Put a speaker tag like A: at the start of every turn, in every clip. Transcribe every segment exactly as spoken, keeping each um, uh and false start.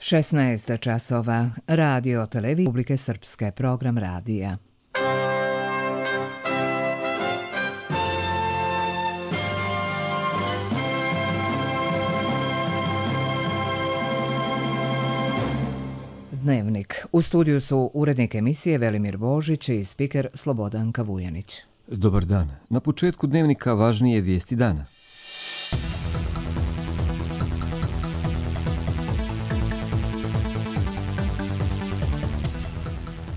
A: šesnaest časova. Radio televizija Republike Srpske, program radija. Dnevnik. U studiju su urednik emisije Velimir Božić i spiker Slobodanka Vujanić.
B: Dobar dan. Na početku dnevnika važnije vijesti dana.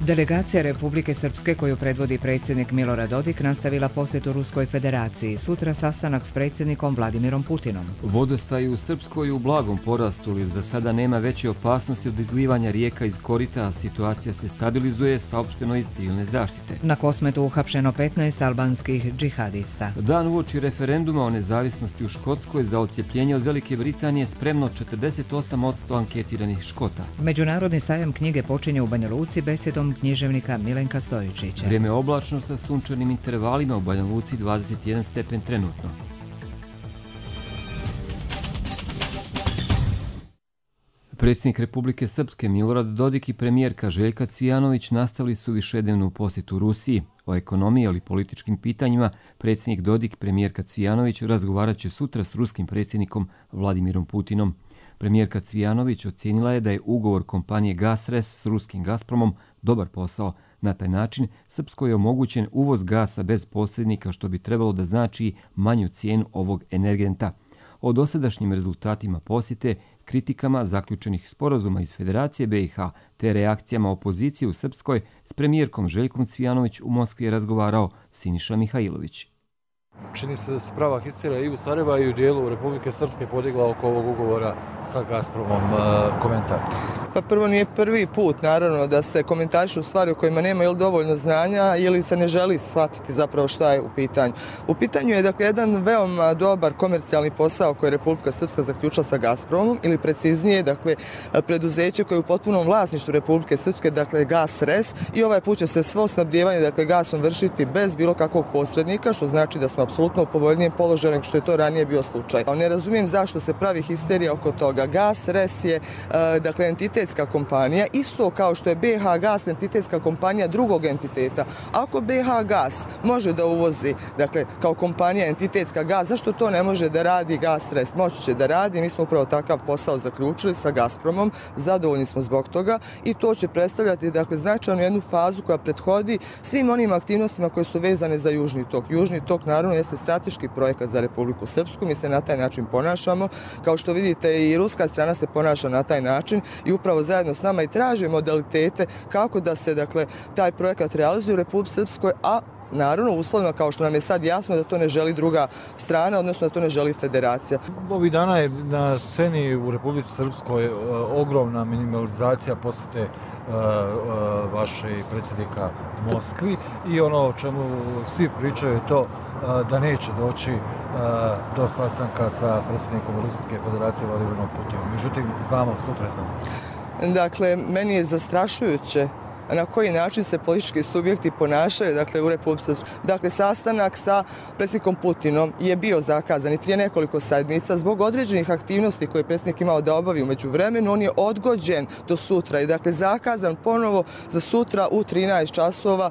A: Delegacija Republike Srpske koju predvodi predsjednik Milorad Dodik nastavila posjetu Ruskoj federaciji. Sutra sastanak s predsjednikom Vladimirom Putinom.
B: Vodostaji u Srpskoj u blagom porastu, ali za sada nema veće opasnosti od izlivanja rijeka iz korita, a situacija se stabilizuje, saopšteno iz civilne zaštite.
A: Na Kosmetu uhapšeno petnaest albanskih džihadista.
B: Dan uoči referenduma o nezavisnosti u Škotskoj za odcjepljenje od Velike Britanije spremno četrdeset osam posto anketiranih Škota.
A: Međunarodni sajam knjige počinje u Banja Luci besedom književnika Milenka Stojičića.
B: Vrijeme oblačno sa sunčanim intervalima, u Banja Luci dvadeset jedan stepen trenutno. Predsjednik Republike Srpske Milorad Dodik i premijerka Željka Cvijanović nastavili su višednevnu posjetu Rusiji. O ekonomiji ali političkim pitanjima predsjednik Dodik i premijerka Cvijanović razgovarat će sutra s ruskim predsjednikom Vladimirom Putinom. Premijerka Cvijanović ocijenila je da je ugovor kompanije Gasres s ruskim Gazpromom dobar posao. Na taj način Srpskoj je omogućen uvoz gasa bez posrednika, što bi trebalo da znači manju cijenu ovog energenta. O dosadašnjim rezultatima posjete, kritikama zaključenih sporazuma iz Federacije B i H te reakcijama opozicije u Srpskoj s premijerkom Željkom Cvijanović u Moskvi je razgovarao Siniša Mihajlović.
C: Čini se da se prava histerija i u Sarajevu i u dijelu Republike Srpske podigla oko ovog ugovora sa Gazpromom. Komentar.
D: Pa prvo, nije prvi put naravno da se komentarišu stvari o kojima nema ili dovoljno znanja ili se ne želi shvatiti zapravo šta je u pitanju. U pitanju je dakle jedan veoma dobar komercijalni posao koji je Republika Srpska zaključila sa Gazpromom, ili preciznije dakle preduzeće koje je u potpunom vlasništvu Republike Srpske, dakle Gasres, i ovaj put će se svo snabdijevanje dakle gasom vršiti bez bilo kakvog posrednika, što znači da smo apsolutno u povoljnijem položaju nego što je to ranije bio slučaj. Ne razumijem zašto se pravi histerija oko toga. Gasres je dakle entitetska kompanija, isto kao što je B H Gas entitetska kompanija drugog entiteta. Ako B H Gas može da uvozi dakle kao kompanija entitetska gas, zašto to ne može da radi Gasres? Moći će da radi. Mi smo upravo takav posao zaključili sa Gazpromom, zadovoljni smo zbog toga i to će predstavljati dakle značajnu jednu fazu koja prethodi svim onim aktivnostima koje su vezane za Južni tok. Južni tok naravno jeste strateški projekat za Republiku Srpsku, mi se na taj način ponašamo. Kao što vidite, i ruska strana se ponaša na taj način i upravo zajedno s nama i traže modalitete kako da se dakle taj projekat realizuje u Republici Srpskoj, a naravno u uslovima kao što nam je sad jasno da to ne želi druga strana, odnosno da to ne želi federacija.
C: Ovih dana je na sceni u Republici Srpskoj ogromna minimalizacija posjete vaše predsjednika Moskvi i ono o čemu svi pričaju je to da neće doći do sastanka sa predsjednikom Ruske federacije Vladimirom Putinom. Međutim, znamo, sutra je sastanak.
D: Dakle, meni je zastrašujuće na koji način se politički subjekti ponašaju dakle, u Republici Srpskoj. Dakle, sastanak sa predsjednikom Putinom je bio zakazan i prije nekoliko sedmica zbog određenih aktivnosti koje je predsjednik imao da obavi u međuvremenu. On je odgođen do sutra i dakle zakazan ponovo za sutra u trinaest časova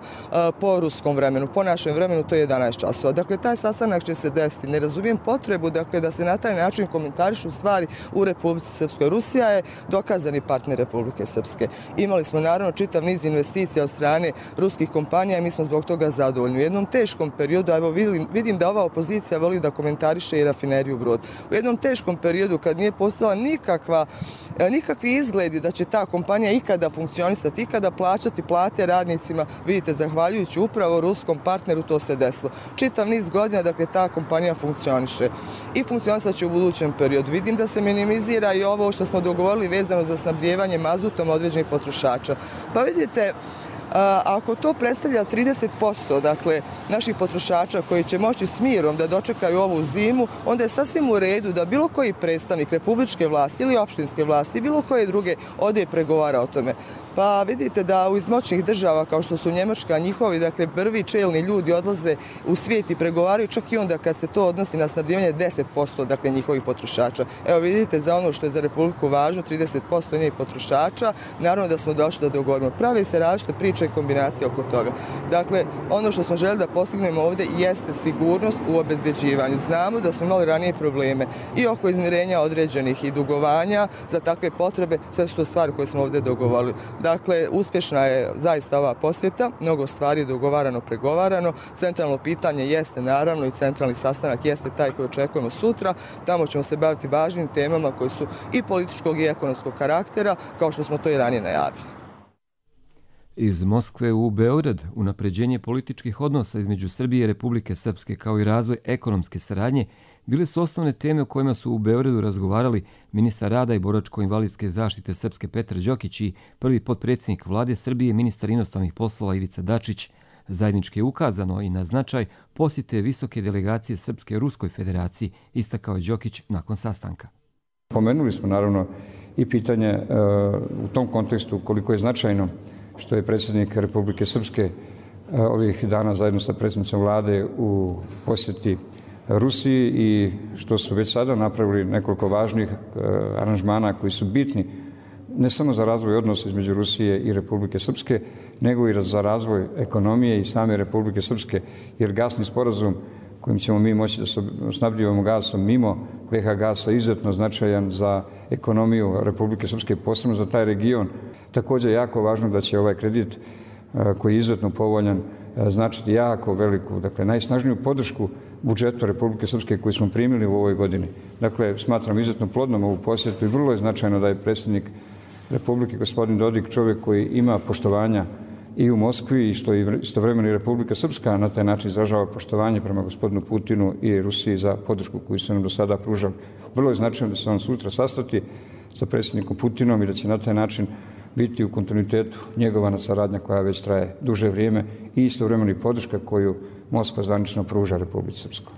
D: po ruskom vremenu. Po našem vremenu to je jedanaest časova. Dakle, taj sastanak će se desiti. Ne razumijem potrebu dakle, da se na taj način komentarišu stvari u Republici Srpskoj. Rusija je dokazani partner Republike Srpske. Imali smo naravno čitav niz investicija od strane ruskih kompanija i mi smo zbog toga zadovoljni. U jednom teškom periodu, evo vidim, vidim da ova opozicija voli da komentariše i rafineriju Brod. U jednom teškom periodu kad nije postala nikakva, nikakvi izgledi da će ta kompanija ikada funkcionisati, ikada plaćati plate radnicima, vidite, zahvaljujući upravo ruskom partneru to se desilo. Čitav niz godina, dakle, ta kompanija funkcioniše i funkcionisat će u budućem periodu. Vidim da se minimizira i ovo što smo dogovorili vezano za snabdijevanje mazutom određenih potrošača. Pa vidite, Ako to predstavlja trideset posto dakle, naših potrošača koji će moći s mirom da dočekaju ovu zimu, onda je sasvim u redu da bilo koji predstavnik republičke vlasti ili opštinske vlasti, bilo koje druge ode i pregovara o tome. Pa vidite da u izmoćnih država kao što su Njemačka, njihovi dakle, prvi čelni ljudi odlaze u svijet i pregovaraju čak i onda kad se to odnosi na snabdijevanje deset posto dakle, njihovih potrošača. Evo vidite za ono što je za Republiku važno, trideset posto njenih potrošača, naravno da smo došli da dogovorimo. Pravi se različite priče i kombinacije oko toga. Dakle, ono što smo željeli da postignemo ovdje jeste sigurnost u obezbeđivanju. Znamo da smo imali ranije probleme i oko izmirenja određenih i dugovanja za takve potrebe, sve su to stvari koje smo ovdje dogovorili. Dakle, uspješna je zaista ova posjeta, mnogo stvari je dogovarano, pregovarano. Centralno pitanje jeste naravno i centralni sastanak jeste taj koji očekujemo sutra. Tamo ćemo se baviti važnim temama koji su i političkog i ekonomskog karaktera, kao što smo to i ranije najavili.
B: Iz Moskve u Beograd unapređenje političkih odnosa između Srbije i Republike Srpske kao i razvoj ekonomske saradnje bile su osnovne teme o kojima su u Beogradu razgovarali ministar rada i boračko-invalidske zaštite Srpske Petar Đokić i prvi potpredsjednik vlade Srbije ministar inostranih poslova Ivica Dačić. Zajednički je ukazano i na značaj posjete visoke delegacije Srpske Ruskoj federaciji, istakao je Đokić nakon sastanka.
E: Pomenuli smo naravno i pitanje e, u tom kontekstu koliko je značajno što je predsjednik Republike Srpske e, ovih dana zajedno sa predsjednicom vlade u posjeti Rusiji i što su već sada napravili nekoliko važnih e, aranžmana koji su bitni ne samo za razvoj odnosa između Rusije i Republike Srpske, nego i za razvoj ekonomije i same Republike Srpske, jer gasni sporazum kojim ćemo mi moći da se snabdijevamo gasom mimo ve ha gasa izuzetno značajan za ekonomiju Republike Srpske, posebno za taj region. Također je jako važno da će ovaj kredit koji je izuzetno povoljan značiti jako veliku, dakle najsnažniju podršku budžetu Republike Srpske koju smo primili u ovoj godini. Dakle, smatram izuzetno plodnom ovu posjetu i vrlo je značajno da je predsjednik Republike, gospodin Dodik, čovjek koji ima poštovanja i u Moskvi i što je istovremeno i Republika Srpska na taj način izražava poštovanje prema gospodinu Putinu i Rusiji za podršku koju su nam do sada pružali. Vrlo je značajno da se on sutra sastati sa predsjednikom Putinom i da će na taj način biti u kontinuitetu njegovana saradnja koja već traje duže vrijeme i istovremeno i podrška koju Moskva zvanično pruža Republici Srpskoj.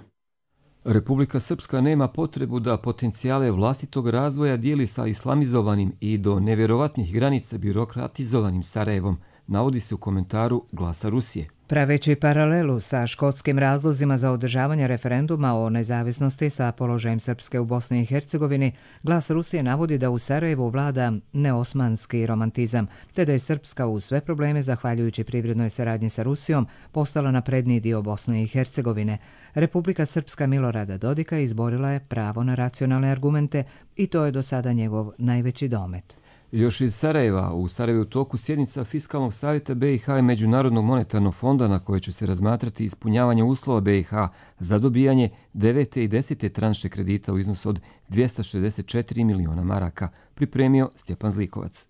B: Republika Srpska nema potrebu da potencijale vlastitog razvoja dijeli sa islamizovanim i do nevjerovatnih granica birokratizovanim Sarajevom, navodi se u komentaru Glasa Rusije.
A: Praveći paralelu sa škotskim razlozima za održavanje referenduma o nezavisnosti sa položajem Srpske u Bosni i Hercegovini, Glas Rusije navodi da u Sarajevu vlada neosmanski romantizam, te da je Srpska uz sve probleme, zahvaljujući privrednoj saradnji sa Rusijom, postala napredniji dio Bosne i Hercegovine. Republika Srpska Milorada Dodika izborila je pravo na racionalne argumente i to je do sada njegov najveći domet.
B: Još iz Sarajeva, u Sarajevu toku sjednica Fiskalnog savjeta be i ha i Međunarodnog monetarnog fonda na koje će se razmatrati ispunjavanje uslova be i ha za dobijanje devete i desete tranše kredita u iznosu od dvjesto šezdeset četiri miliona maraka, pripremio Stjepan Zlikovac.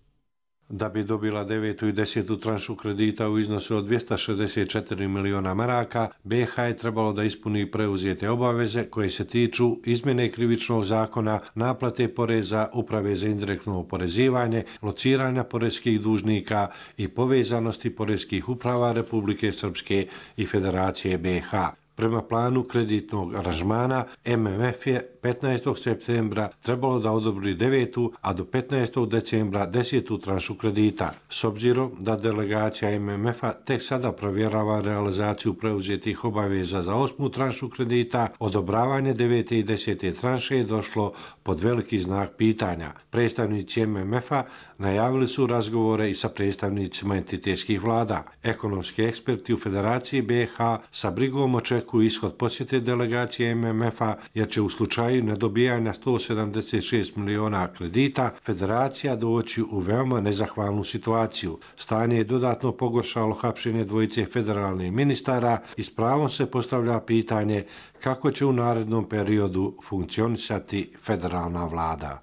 F: Da bi dobila devetu i desetu tranšu kredita u iznosu od dvjesto šezdeset četiri miliona maraka, be i ha je trebalo da ispuni preuzete obaveze koje se tiču izmjene krivičnog zakona, naplate poreza, uprave za indirektno oporezivanje, lociranja poreskih dužnika i povezanosti poreskih uprava Republike Srpske i Federacije be i ha. Prema planu kreditnog aranžmana, em em ef je petnaestog septembra trebalo da odobri devetu, a do petnaestog decembra desetu tranšu kredita. S obzirom da delegacija em em efa tek sada provjerava realizaciju preuzetih obaveza za osmu tranšu kredita, odobravanje devete i desete tranše je došlo pod veliki znak pitanja. Predstavnici em em efa najavili su razgovore i sa predstavnicima entitetskih vlada. Ekonomski eksperti u Federaciji be i ha sa brigom očekuju ishod posjete delegacije em em efa, jer će u slučaju nedobijanja sto sedamdeset šest miliona kredita Federacija doći u veoma nezahvalnu situaciju. Stanje je dodatno pogoršalo hapšenje dvojice federalnih ministara i s pravom se postavlja pitanje kako će u narednom periodu funkcionisati federalna vlada.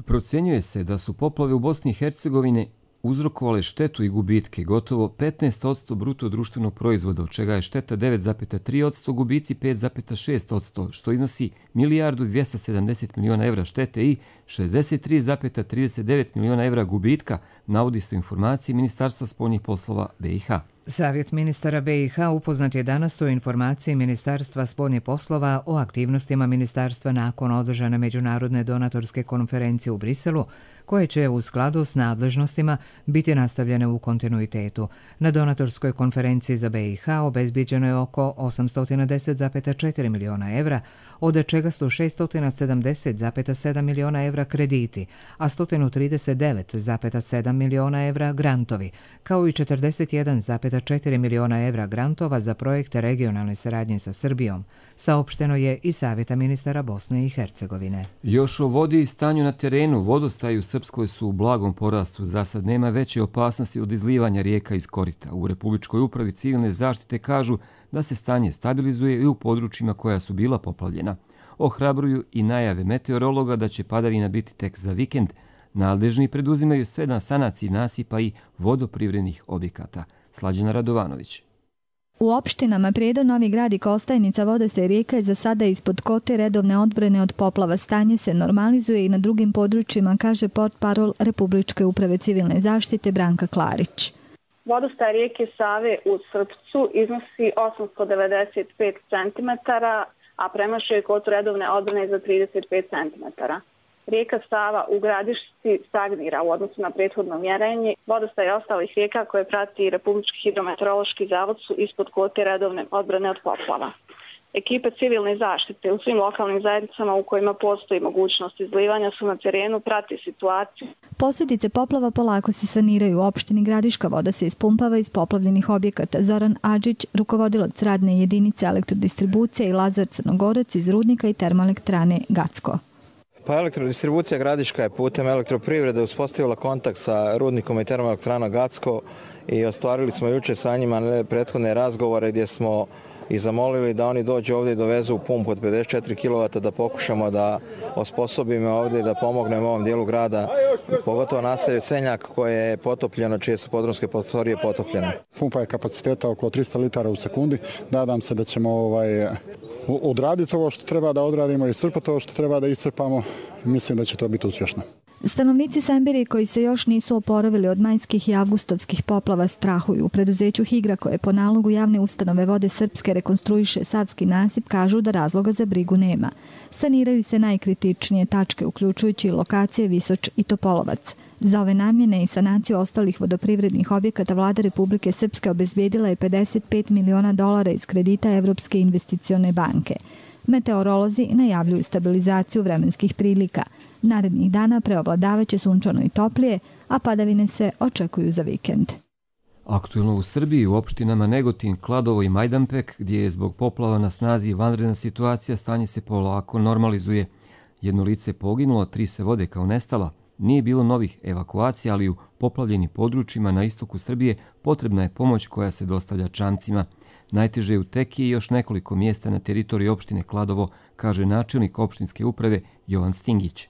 B: Procjenjuje se da su poplave u Bosni i Hercegovini uzrokovale štetu i gubitke gotovo petnaest posto bruto društvenog proizvoda, od čega je šteta devet zarez tri posto, gubici pet zarez šest posto, što iznosi milijardu dvjesto sedamdeset miliona evra štete i šezdeset tri zarez trideset devet miliona evra gubitka, navodi se u informaciji Ministarstva spoljnih poslova B i H.
A: Savjet ministara B i H upoznat je danas o informaciji Ministarstva spoljnih poslova o aktivnostima ministarstva nakon održane međunarodne donatorske konferencije u Briselu, koje će u skladu s nadležnostima biti nastavljene u kontinuitetu. Na donatorskoj konferenciji za B i H obezbiđeno je oko osamsto deset zarez četiri miliona evra, od čega su šesto sedamdeset zarez sedam miliona evra krediti, a sto trideset devet zarez sedam miliona evra grantovi, kao i četrdeset jedan zarez četiri miliona evra grantova za projekte regionalne saradnje sa Srbijom, saopšteno je i Savjeta ministara Bosne i Hercegovine.
B: Još o vodi i stanju na terenu. Vodostaji u Srpskoj su u blagom porastu. Za sad nema veće opasnosti od izlivanja rijeka iz korita. U Republičkoj upravi civilne zaštite kažu da se stanje stabilizuje i u područjima koja su bila poplavljena. Ohrabruju i najave meteorologa da će padavina biti tek za vikend. Nadležni preduzimaju sve na sanaciji nasipa i vodoprivrednih objekata. Slađana Radovanović.
G: U opštinama Prijedor, Novi Grad i Kostajnica vodostaj rijeka je za sada ispod kote redovne odbrane od poplava. Stanje se normalizuje i na drugim područjima, kaže portparol Republičke uprave civilne zaštite Branka Klarić.
H: Vodostaj rijeke Save u Srpcu iznosi osamsto devedeset pet centimetara, a premašuje kotu redovne odbrane za trideset pet centimetara. Rijeka Sava u Gradišci stagnira u odnosu na prethodno mjerenje. Vodostaj ostalih rijeka koje prati Republički hidrometeorološki zavod su ispod kvote redovne odbrane od poplava. Ekipe civilne zaštite u svim lokalnim zajednicama u kojima postoji mogućnost izlivanja su na terenu, prati situaciju.
G: Posljedice poplava polako se saniraju. U opštini Gradiška voda se ispumpava iz poplavljenih objekata. Zoran Adžić, rukovodilac radne jedinice elektrodistribucije, i Lazar Crnogorac iz rudnika i termoelektrane Gacko.
I: Pa elektrodistribucija Gradiška je putem elektroprivrede uspostavila kontakt sa rudnikom i termoelektranom Gacko i ostvarili smo juče sa njima prethodne razgovore gdje smo i zamolili da oni dođu ovdje i dovezu pumpu od pedeset četiri kilovata da pokušamo da osposobimo ovdje i da pomognemo ovom dijelu grada, pogotovo naselje Senjak koje je potopljeno, čije su podrumske prostorije potopljene.
J: Pumpa je kapaciteta oko tristo litara u sekundi. Nadam se da ćemo ovaj, odraditi ovo što treba da odradimo i iscrpati ovo što treba da iscrpamo. Mislim da će to biti uspješno.
G: Stanovnici Semberije koji se još nisu oporavili od majskih i avgustovskih poplava strahuju. U preduzeću Higra, koje po nalogu javne ustanove Vode Srpske rekonstruiše Savski nasip, kažu da razloga za brigu nema. Saniraju se najkritičnije tačke, uključujući lokacije Visoč i Topolovac. Za ove namjene i sanaciju ostalih vodoprivrednih objekata Vlada Republike Srpske obezbijedila je pedeset pet miliona dolara iz kredita Evropske investicione banke. Meteorolozi najavljuju stabilizaciju vremenskih prilika. Narednih dana preovladavaće sunčano i toplije, a padavine se očekuju za vikend.
B: Aktuelno u Srbiji, u opštinama Negotin, Kladovo i Majdanpek, gdje je zbog poplava na snazi vanredna situacija, stanje se polako normalizuje. Jedno lice je poginulo, tri se vode kao nestala. Nije bilo novih evakuacija, ali u poplavljenim područjima na istoku Srbije potrebna je pomoć koja se dostavlja čamcima. Najteže je u Tekiji i još nekoliko mjesta na teritoriji opštine Kladovo, kaže načelnik opštinske uprave Jovan Stingić.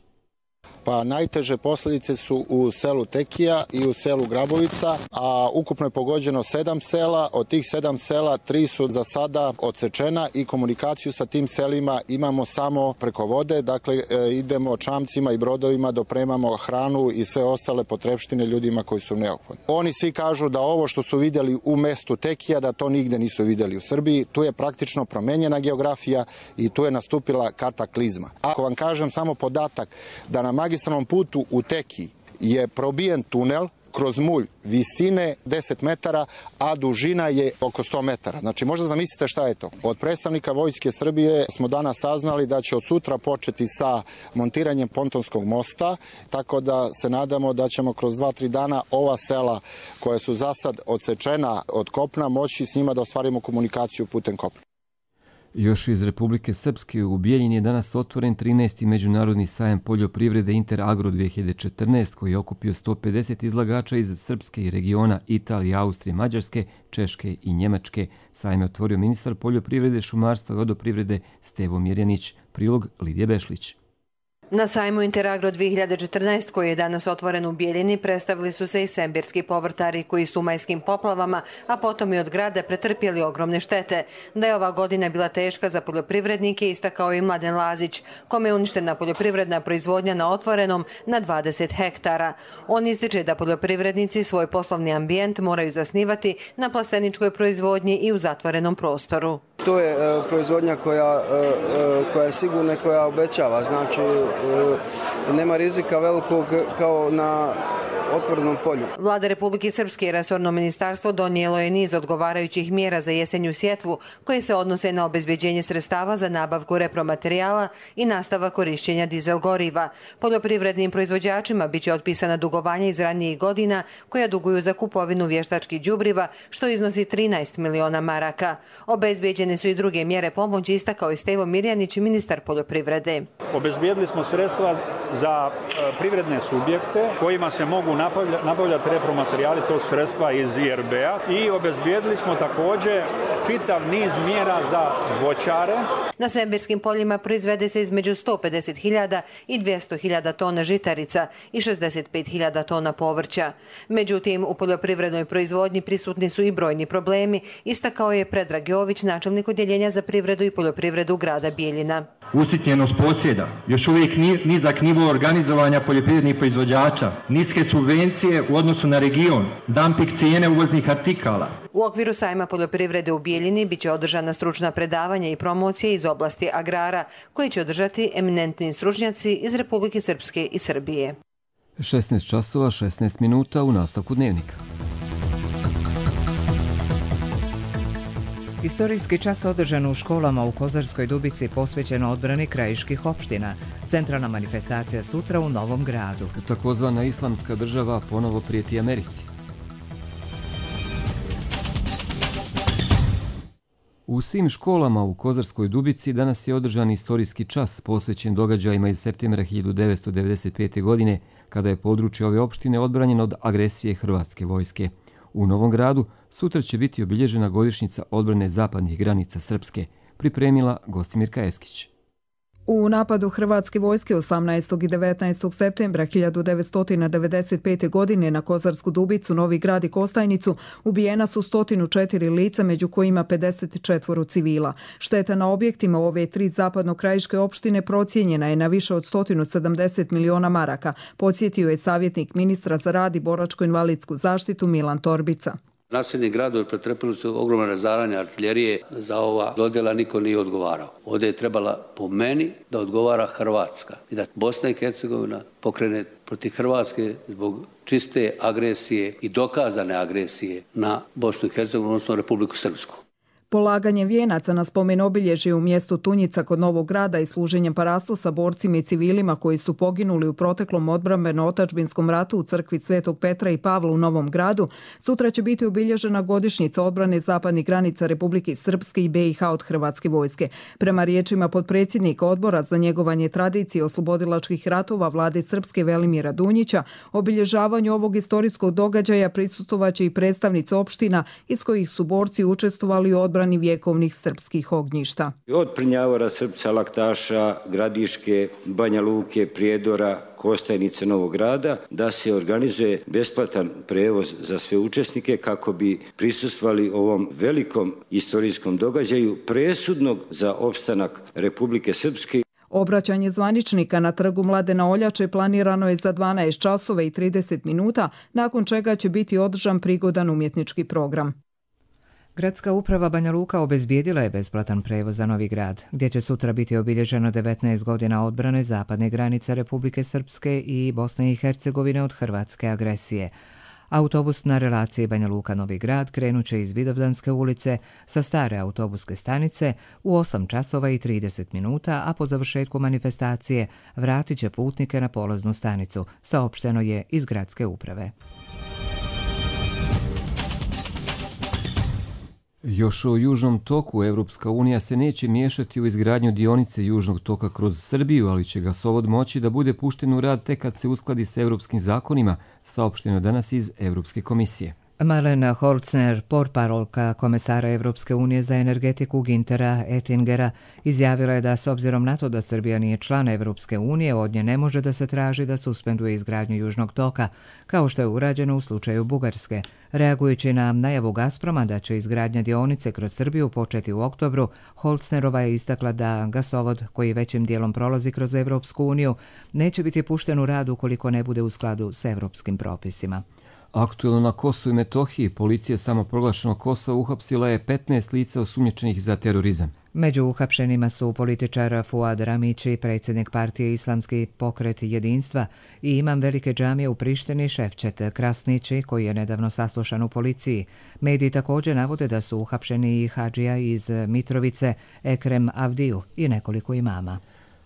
K: Pa najteže posljedice su u selu Tekija i u selu Grabovica, a ukupno je pogođeno sedam sela. Od tih sedam sela tri su za sada odsečena i komunikaciju sa tim selima imamo samo preko vode. Dakle, idemo čamcima i brodovima, dopremamo hranu i sve ostale potrepštine ljudima koji su neophodni. Oni svi kažu da ovo što su vidjeli u mestu Tekija, da to nigde nisu vidjeli u Srbiji. Tu je praktično promenjena geografija i tu je nastupila kataklizma. Ako vam kažem samo podatak da na magistralnom putu u Tekiji je probijen tunel kroz mulj visine deset metara, a dužina je oko sto metara. Znači, možda zamislite šta je to. Od predstavnika Vojske Srbije smo danas saznali da će od sutra početi sa montiranjem pontonskog mosta, tako da se nadamo da ćemo kroz dva tri dana ova sela koja su za sad odsečena od kopna moći s njima da ostvarimo komunikaciju putem kopna.
B: Još iz Republike Srpske u Bijeljini je danas otvoren trinaesti međunarodni sajam poljoprivrede Interagro dvije hiljade četrnaest, koji je okupio sto pedeset izlagača iz Srpske i regiona Italije, Austrije, Mađarske, Češke i Njemačke. Sajam je otvorio ministar poljoprivrede, šumarstva i vodoprivrede Stevo Mirjanić. Prilog Lidije Bešlić.
L: Na sajmu Interagro dvije hiljade četrnaest koji je danas otvoren u Bijeljini predstavili su se i sembirski povrtari koji su u majskim poplavama, a potom i od grada pretrpjeli ogromne štete. Da je ova godina bila teška za poljoprivrednike istakao i Mladen Lazić, kome je uništena poljoprivredna proizvodnja na otvorenom na dvadeset hektara. On ističe da poljoprivrednici svoj poslovni ambijent moraju zasnivati na plasteničkoj proizvodnji i u zatvorenom prostoru.
M: To je e, proizvodnja koja, e, koja je sigurna i koja obećava, znači e, nema rizika velikog kao na otvorenom polju.
L: Vlada Republike Srpske i resorno ministarstvo donijelo je niz odgovarajućih mjera za jesenju sjetvu koje se odnose na obezbeđenje sredstava za nabavku repromaterijala i nastavak korišćenja dizel goriva. Poljoprivrednim proizvođačima biće otpisana dugovanja iz ranijih godina koja duguju za kupovinu vještačkih đubriva, što iznosi trinaest miliona maraka. Obezbeđene su i druge mjere pomoći, istakao je Stevo Mirjanić, ministar poljoprivrede.
N: Obezbijedili smo sredstva za privredne subjekte kojima se mogu nabavljati repromaterijali, to sredstva iz I R B-a, i obezbijedili smo također čitav niz mjera za voćare.
L: Na sembirskim poljima proizvede se između sto pedeset hiljada i dvjesto hiljada tona žitarica i šezdeset pet hiljada tona povrća. Međutim, u poljoprivrednoj proizvodnji prisutni su i brojni problemi, istakao je Predrag Jović, načelnik odjeljenja za privredu i poljoprivredu grada Bijeljina.
O: Usitnjenost posjeda, još uvijek nizak nivo organizovanja poljoprivrednih proizvođača, niske subvencije u odnosu na region, dumping cijene uvoznih artikala.
L: U okviru sajma poljoprivrede u Bijeljini biće održana stručna predavanja i promocije iz oblasti agrara, koje će održati eminentni stručnjaci iz Republike Srpske i Srbije.
B: šesnaest časova šesnaest minuta u nastavku dnevnika.
A: Istorijski čas održan u školama u Kozarskoj Dubici posvećen odbrani krajiških opština. Centralna manifestacija sutra u Novom Gradu.
B: Takozvana islamska država ponovo prijeti Americi. U svim školama u Kozarskoj Dubici danas je održan istorijski čas posvećen događajima iz septembra hiljadu devetsto devedeset pete. godine, kada je područje ove opštine odbranjeno od agresije hrvatske vojske. U Novom Gradu sutra će biti obilježena godišnjica odbrane zapadnih granica Srpske, pripremila Gostimirka Eskić.
P: U napadu hrvatske vojske osamnaestog i devetnaestog septembra hiljadu devetsto devedeset pete. godine na Kozarsku Dubicu, Novi Grad i Kostajnicu ubijena su sto četiri lica, među kojima pedeset četiri civila. Šteta na objektima u ove tri zapadno-krajiške opštine procijenjena je na više od sto sedamdeset miliona maraka, podsjetio je savjetnik ministra za rad i boračko-invalidsku zaštitu Milan Torbica.
Q: Naselni gradovi pretrpili su ogromno razaranje artiljerije, za ova dodjela niko nije odgovarao. Ovdje je trebala po meni da odgovara Hrvatska i da Bosna i Hercegovina pokrene protiv Hrvatske zbog čiste agresije i dokazane agresije na Bosnu i Hercegovinu, odnosno Republiku Srpsku.
P: Polaganjem vijenaca na spomen obilježje u mjestu Tunjica kod Novog Grada i služenjem parastu sa borcima i civilima koji su poginuli u proteklom odbrambeno-otačbinskom ratu u crkvi Svetog Petra i Pavla u Novom Gradu, sutra će biti obilježena godišnjica odbrane zapadnih granica Republike Srpske i B i H od hrvatske vojske. Prema riječima potpredsjednika odbora za njegovanje tradicije oslobodilačkih ratova Vlade Srpske Velimira Dunjića, obilježavanju ovog istorijskog događaja prisustvovaće i predstavnici opština iz kojih su borci učestvovali u odbrani vjekovnih srpskih ognjišta.
R: Od Prnjavora, Srpca, Laktaša, Gradiške, Banja Luke, Prijedora, Kostajnice, Novog Grada, da se organizuje besplatan prevoz za sve učesnike kako bi prisustvovali ovom velikom istorijskom događaju presudnog za opstanak Republike Srpske.
P: Obraćanje zvaničnika na trgu Mladena Oljače planirano je za dvanaest časova i trideset minuta, nakon čega će biti održan prigodan umjetnički program.
A: Gradska uprava Banja Luka obezbijedila je besplatan prevoz za Novi Grad, gdje će sutra biti obilježeno devetnaest godina odbrane zapadne granice Republike Srpske i Bosne i Hercegovine od hrvatske agresije. Autobus na relaciji Banja Luka-Novi Grad krenuće iz Vidovdanske ulice sa stare autobuske stanice u osam časova i trideset minuta, a po završetku manifestacije vratit će putnike na polaznu stanicu, saopšteno je iz gradske uprave.
B: Još o Južnom toku Evropska unija se neće miješati u izgradnju dionice Južnog toka kroz Srbiju, ali će gasovod moći da bude pušten u rad tek kad se uskladi s evropskim zakonima, saopšteno danas iz Evropske komisije.
A: Marlena Holzner, portparolka komesara Evropske unije za energetiku Güntera Oettingera, izjavila je da s obzirom na to da Srbija nije član Evropske unije, od nje ne može da se traži da suspenduje izgradnju Južnog toka, kao što je urađeno u slučaju Bugarske. Reagujući na najavu Gazproma da će izgradnja dionice kroz Srbiju početi u oktobru, Holznerova je istakla da gasovod, koji većim dijelom prolazi kroz Evropsku uniju, neće biti pušten u rad ukoliko ne bude u skladu s evropskim propisima.
B: Aktuelno na Kosovu i Metohiji, policija samoproglašenog Kosova uhapsila je petnaest lica osumnjičenih za terorizam.
A: Među uhapšenima su političar Fuad Ramići, predsjednik partije Islamski pokret jedinstva i imam Velike džamije u Prištini Ševčet Krasnići, koji je nedavno saslušan u policiji. Mediji također navode da su uhapšeni i hadžija iz Mitrovice, Ekrem Avdiju i nekoliko imama.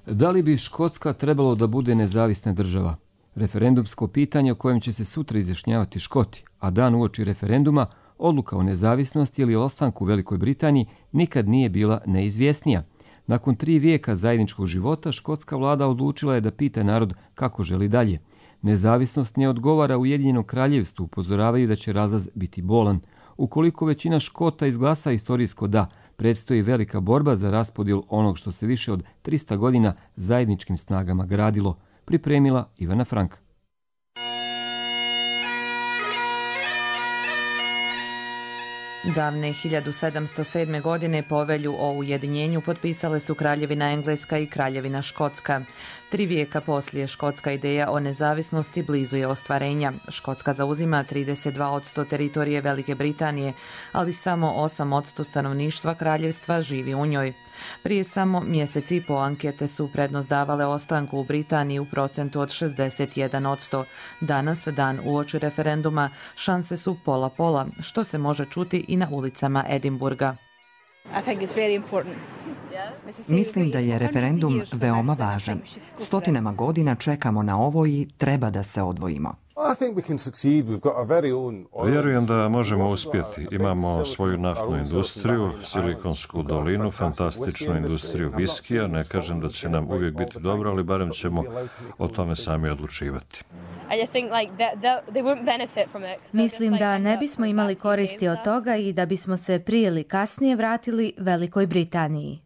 B: Da li bi Škotska trebalo da bude nezavisna država? Referendumsko pitanje o kojem će se sutra izjašnjavati Škoti, a dan uoči referenduma, odluka o nezavisnosti ili ostanku u Velikoj Britaniji nikad nije bila neizvjesnija. Nakon tri vijeka zajedničkog života, škotska vlada odlučila je da pita narod kako želi dalje. Nezavisnost ne odgovara Ujedinjenom kraljevstvu, upozoravaju da će razlaz biti bolan. Ukoliko većina Škota izglasa istorijsko da, predstoji velika borba za raspodjelu onog što se više od trista godina zajedničkim snagama gradilo. Pripremila Ivana Franka.
S: Davne hiljadu sedamsto sedme. godine povelju o ujedinjenju potpisale su Kraljevina Engleska i Kraljevina Škotska. Tri vijeka poslije, škotska ideja o nezavisnosti blizu je ostvarenja. Škotska zauzima trideset dva posto teritorije Velike Britanije, ali samo osam posto stanovništva kraljevstva živi u njoj. Prije samo mjesec i po ankete su prednost davale ostanku u Britaniji u procentu od šezdeset jedan posto. Danas, dan uoči referenduma, šanse su pola-pola, što se može čuti i na ulicama Edinburga.
T: Mislim da je referendum veoma važan. Stotinama godina čekamo na ovo i treba da se odvojimo.
U: Vjerujem da možemo uspjeti. Imamo svoju naftnu industriju, Silikonsku dolinu, fantastičnu industriju viskija. Ne kažem da će nam uvijek biti dobro, ali barem ćemo o tome sami odlučivati.
V: Mislim da ne bismo imali koristi od toga i da bismo se prije ili kasnije vratili Velikoj Britaniji.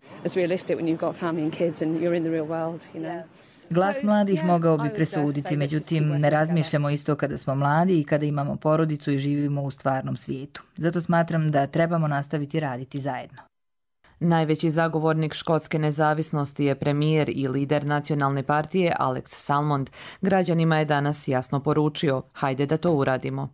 W: Glas mladih mogao bi presuditi, međutim ne razmišljamo isto kada smo mladi i kada imamo porodicu i živimo u stvarnom svijetu. Zato smatram da trebamo nastaviti raditi zajedno.
S: Najveći zagovornik škotske nezavisnosti je premijer i lider nacionalne partije Alex Salmond. Građanima je danas jasno poručio, hajde da to uradimo.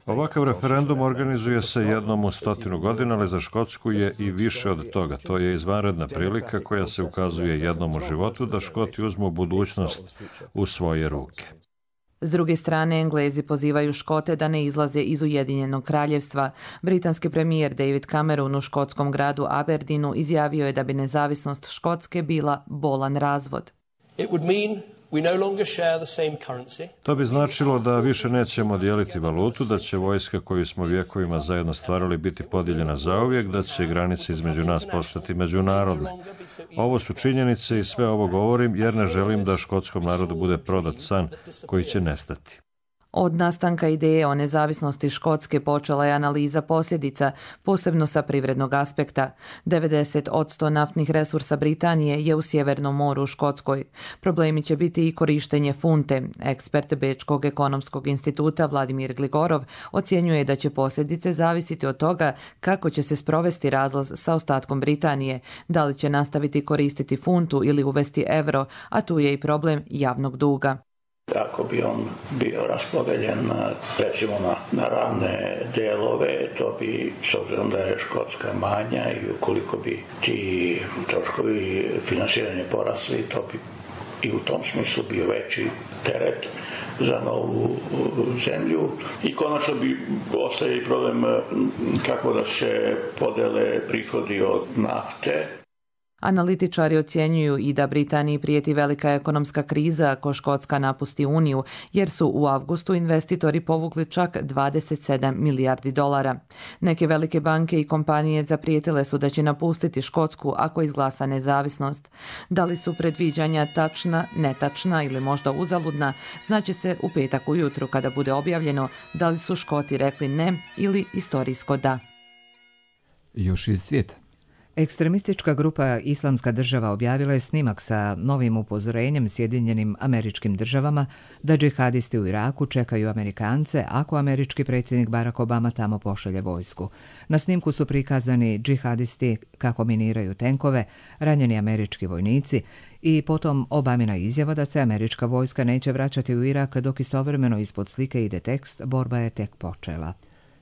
U: Ovakav referendum organizuje se jednom u stotinu godina, ali za Škotsku je i više od toga. To je izvanredna prilika koja se ukazuje jednom u životu da Škoti uzmu budućnost u svoje ruke.
S: S druge strane, Englezi pozivaju Škote da ne izlaze iz Ujedinjenog kraljevstva. Britanski premijer David Cameron u škotskom gradu Aberdeenu izjavio je da bi nezavisnost Škotske bila bolan razvod.
U: To bi značilo da više nećemo dijeliti valutu, da će vojska koju smo vjekovima zajedno stvarali biti podijeljena zauvijek, da će granice između nas postati međunarodne. Ovo su činjenice i sve ovo govorim jer ne želim da škotskom narodu bude prodat san koji će nestati.
S: Od nastanka ideje o nezavisnosti Škotske počela je analiza posljedica, posebno sa privrednog aspekta. devedeset posto naftnih resursa Britanije je u Sjevernom moru u Škotskoj. Problemi će biti i korištenje funte. Ekspert Bečkog ekonomskog instituta Vladimir Gligorov ocjenjuje da će posljedice zavisiti od toga kako će se sprovesti razlaz sa ostatkom Britanije, da li će nastaviti koristiti funtu ili uvesti euro, a tu je i problem javnog duga.
X: Ako bi on bio raspodeljen recimo na, na ravne delove, to bi, s obzirom da je Škotska manja i ukoliko bi ti troškovi finansiranja porasli, to bi i u tom smislu bio veći teret za novu zemlju. I konačno bi ostaje i problem kako da se podele prihodi od nafte.
S: Analitičari ocjenjuju i da Britaniji prijeti velika ekonomska kriza ako Škotska napusti Uniju, jer su u avgustu investitori povukli čak dvadeset sedam milijardi dolara. Neke velike banke i kompanije zaprijetile su da će napustiti Škotsku ako izglasa nezavisnost. Da li su predviđanja tačna, netačna ili možda uzaludna, znaće se u petak ujutru kada bude objavljeno da li su Škoti rekli ne ili istorijsko da.
B: Još iz svijeta.
A: Ekstremistička grupa Islamska država objavila je snimak sa novim upozorenjem Sjedinjenim Američkim Državama da džihadisti u Iraku čekaju Amerikance ako američki predsjednik Barack Obama tamo pošalje vojsku. Na snimku su prikazani džihadisti kako miniraju tenkove, ranjeni američki vojnici i potom Obamina izjava da se američka vojska neće vraćati u Irak dok istovremeno ispod slike ide tekst "Borba je tek počela".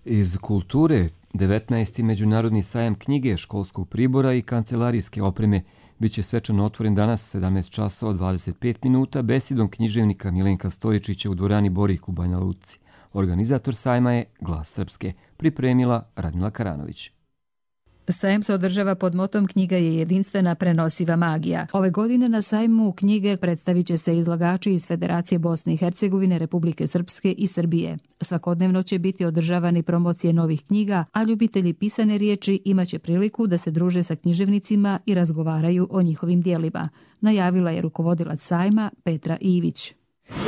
B: Iz kulture, devetnaesti Međunarodni sajam knjige, školskog pribora i kancelarijske opreme bit će svečano otvoren danas sedamnaest časova dvadeset pet minuta besedom književnika Milenka Stojičića u dvorani Borik u Banja Luci. Organizator sajma je Glas Srpske, pripremila Radmila Karanović.
C: Sajam se održava pod motom "Knjiga je jedinstvena prenosiva magija". Ove godine na sajmu knjige predstavit će se izlagači iz Federacije Bosne i Hercegovine, Republike Srpske i Srbije. Svakodnevno će biti održavani promocije novih knjiga, a ljubitelji pisane riječi imaće priliku da se druže sa književnicima i razgovaraju o njihovim dijelima, najavila je rukovodilac sajma Petra Ivić.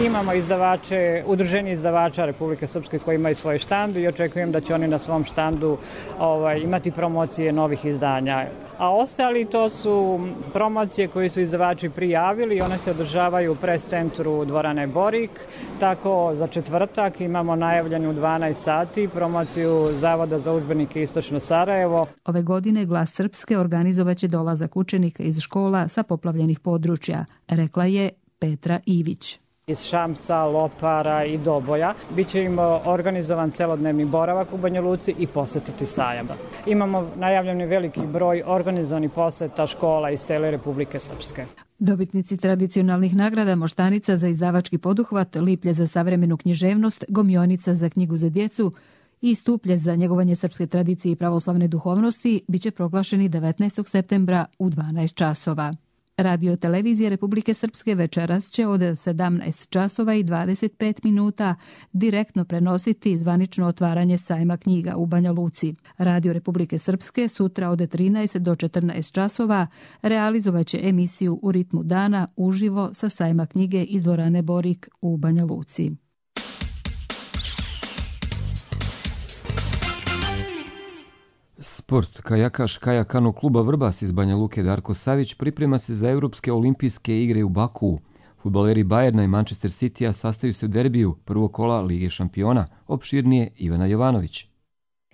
D: Imamo izdavače, udruženje izdavača Republike Srpske koji imaju svoj štand i očekujem da će oni na svom štandu ovaj, imati promocije novih izdanja. A ostali to su promocije koje su izdavači prijavili i one se održavaju u pres centru dvorane Borik. Tako za četvrtak imamo najavljenu u dvanaest sati promociju Zavoda za udžbenike Istočno Sarajevo.
C: Ove godine Glas Srpske organizovaće dolazak učenika iz škola sa poplavljenih područja, rekla je Petra Ivić.
D: Iz Šamca, Lopara i Doboja. Biće im organizovan celodnevni boravak u Banja Luci i posetiti sajam. Imamo najavljeni veliki broj organizovanih poseta škola iz cele Republike Srpske.
C: Dobitnici tradicionalnih nagrada Moštanica za izdavački poduhvat, Liplje za savremenu književnost, Gomionica za knjigu za djecu i Stuplje za njegovanje srpske tradicije i pravoslavne duhovnosti biće proglašeni devetnaestog septembra u dvanaest časova. Radio televizija Republike Srpske večeras će od sedamnaest časova i dvadeset pet minuta direktno prenositi zvanično otvaranje sajma knjiga u Banja Luci. Radio Republike Srpske sutra od trinaest do četrnaest časova realizovaće emisiju U ritmu dana uživo sa sajma knjige iz dvorane Borik u Banja Luci.
B: Sport. Kajakaš kajakanu kluba Vrbas iz Banja Luke Darko Savić priprema se za Europske olimpijske igre u Bakuu. Fudbaleri Bajerna i Manchester Citya sastaju se u derbiju prvog kola Lige šampiona, opširnije Ivana Jovanović.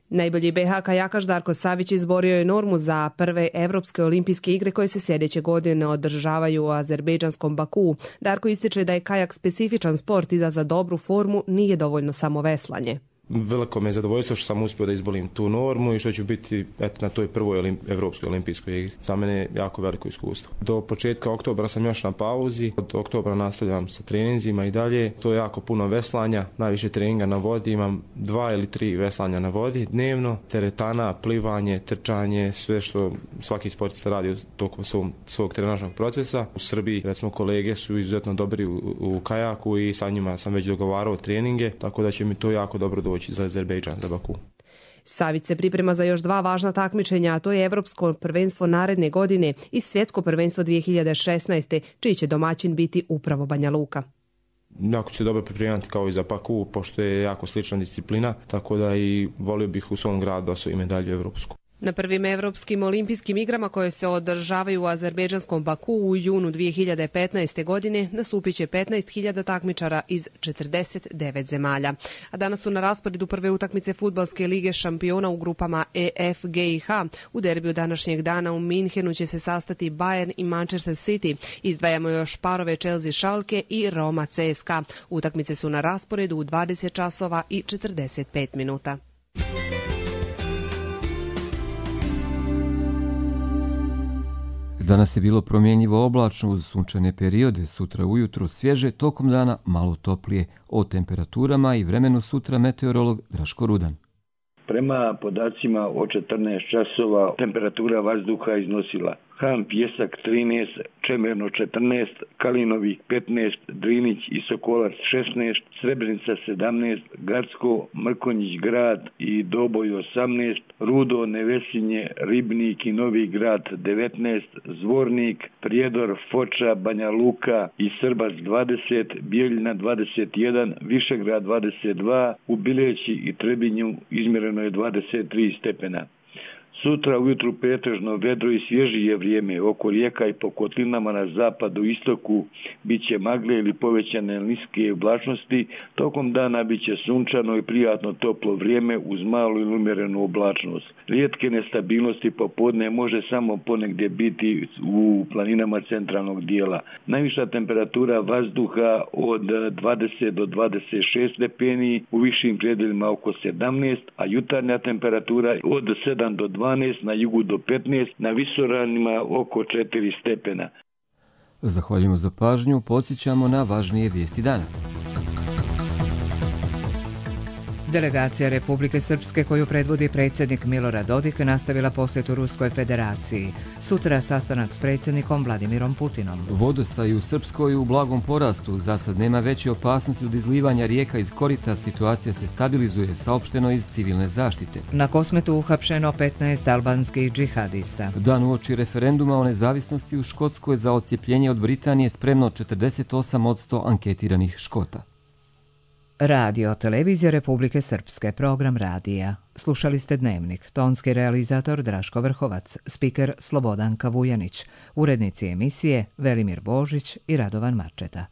E: Najbolji be ha kajakaš Darko Savić izborio je normu za prve Evropske olimpijske igre koje se sljedeće godine održavaju u azerbejdžanskom Bakuu. Darko ističe da je kajak specifičan sport i da za dobru formu nije dovoljno samo veslanje.
F: Veliko me je zadovoljstvo što sam uspio da izbolim tu normu i što ću biti eto, na toj prvoj olim, Evropskoj olimpijskoj igri. Za mene je jako veliko iskustvo. Do početka oktobra sam još na pauzi, od oktobra nastavljam sa treninzima i dalje. To je jako puno veslanja, najviše treninga na vodi, imam dva ili tri veslanja na vodi dnevno, teretana, plivanje, trčanje, sve što svaki sportista radi tokom svog, svog trenažnog procesa. U Srbiji, recimo, kolege su izuzetno dobri u, u kajaku i sa njima sam već dogovarao treninge, tako da će mi to jako dobro doći za Azerbejdžan, za Baku.
E: Savić se priprema za još dva važna takmičenja, a to je Evropsko prvenstvo naredne godine i Svjetsko prvenstvo dvije hiljade šesnaeste, čiji će domaćin biti upravo Banja Luka.
F: Jako ću se dobro pripremati kao i za Baku, pošto je jako slična disciplina, tako da i volio bih u svom gradu osvojiti medalju evropsku.
E: Na prvim Evropskim olimpijskim igrama koje se održavaju u azerbejdžanskom Baku u junu dvije hiljade petnaeste. godine nastupit će petnaest hiljada takmičara iz četrdeset devet zemalja. A danas su na rasporedu prve utakmice Fudbalske lige šampiona u grupama E, F, G i H. U derbiju današnjeg dana u Minhenu će se sastati Bayern i Manchester City. Izdvajamo još parove Chelsea Schalke i Roma C S K A. Utakmice su na rasporedu u dvadeset časova i četrdeset pet minuta.
B: Danas je bilo promjenjivo oblačno uz sunčane periode, sutra ujutro svježe, tokom dana malo toplije. O temperaturama i vremenu sutra meteorolog Draško Rudan.
Y: Prema podacima o četrnaest časova temperatura vazduha iznosila
G: Han Pjesak trinaest, Čemerno četrnaest, Kalinovik petnaest, Drinić i Sokolac šesnaest, Srebrenica sedamnaest, Gacko, Mrkonjić grad i Doboj osamnaest, Rudo, Nevesinje, Ribnik i Novi grad devetnaest, Zvornik, Prijedor, Foča, Banja Luka i Srbac dvadeset, Bijeljina dvadeset jedan, Višegrad dvadeset dva, u Bileći i Trebinju izmjereno je dvadeset tri stepena. Sutra ujutru pretežno vedro i svježije vrijeme, oko rijeka i po kotlinama na zapadu i istoku bit će magle ili povećane niske oblačnosti, tokom dana bit će sunčano i prijatno toplo vrijeme uz malu ili umjerenu oblačnost. Rijetke nestabilnosti popodne može samo ponegdje biti u planinama centralnog dijela. Najviša temperatura vazduha od dvadeset do dvadeset šest stepeni, u višim predjelima oko sedamnaest, a jutarnja temperatura od sedam do dvanaest, na jugu do petnaest, na visoravnima oko četiri stepena.
B: Zahvaljujemo za pažnju, podsjećamo na važnije vijesti dana.
A: Delegacija Republike Srpske koju predvodi predsjednik Milorad Dodik nastavila posjetu Ruskoj federaciji. Sutra sastanak s predsjednikom Vladimirom Putinom.
B: Vodostaj u Srpskoj u blagom porastu. Za sad nema veće opasnosti od izlivanja rijeka iz korita. Situacija se stabilizuje, saopšteno iz civilne zaštite.
A: Na Kosmetu uhapšeno petnaest albanskih džihadista.
B: Dan uoči referenduma o nezavisnosti u Škotskoj za odcijepljenje od Britanije spremno četrdeset osam posto anketiranih Škota.
A: Radio Televizija Republike Srpske, program radija. Slušali ste Dnevnik, tonski realizator Draško Vrhovac, spiker Slobodan Kavujanić, urednici emisije Velimir Božić i Radovan Marčeta.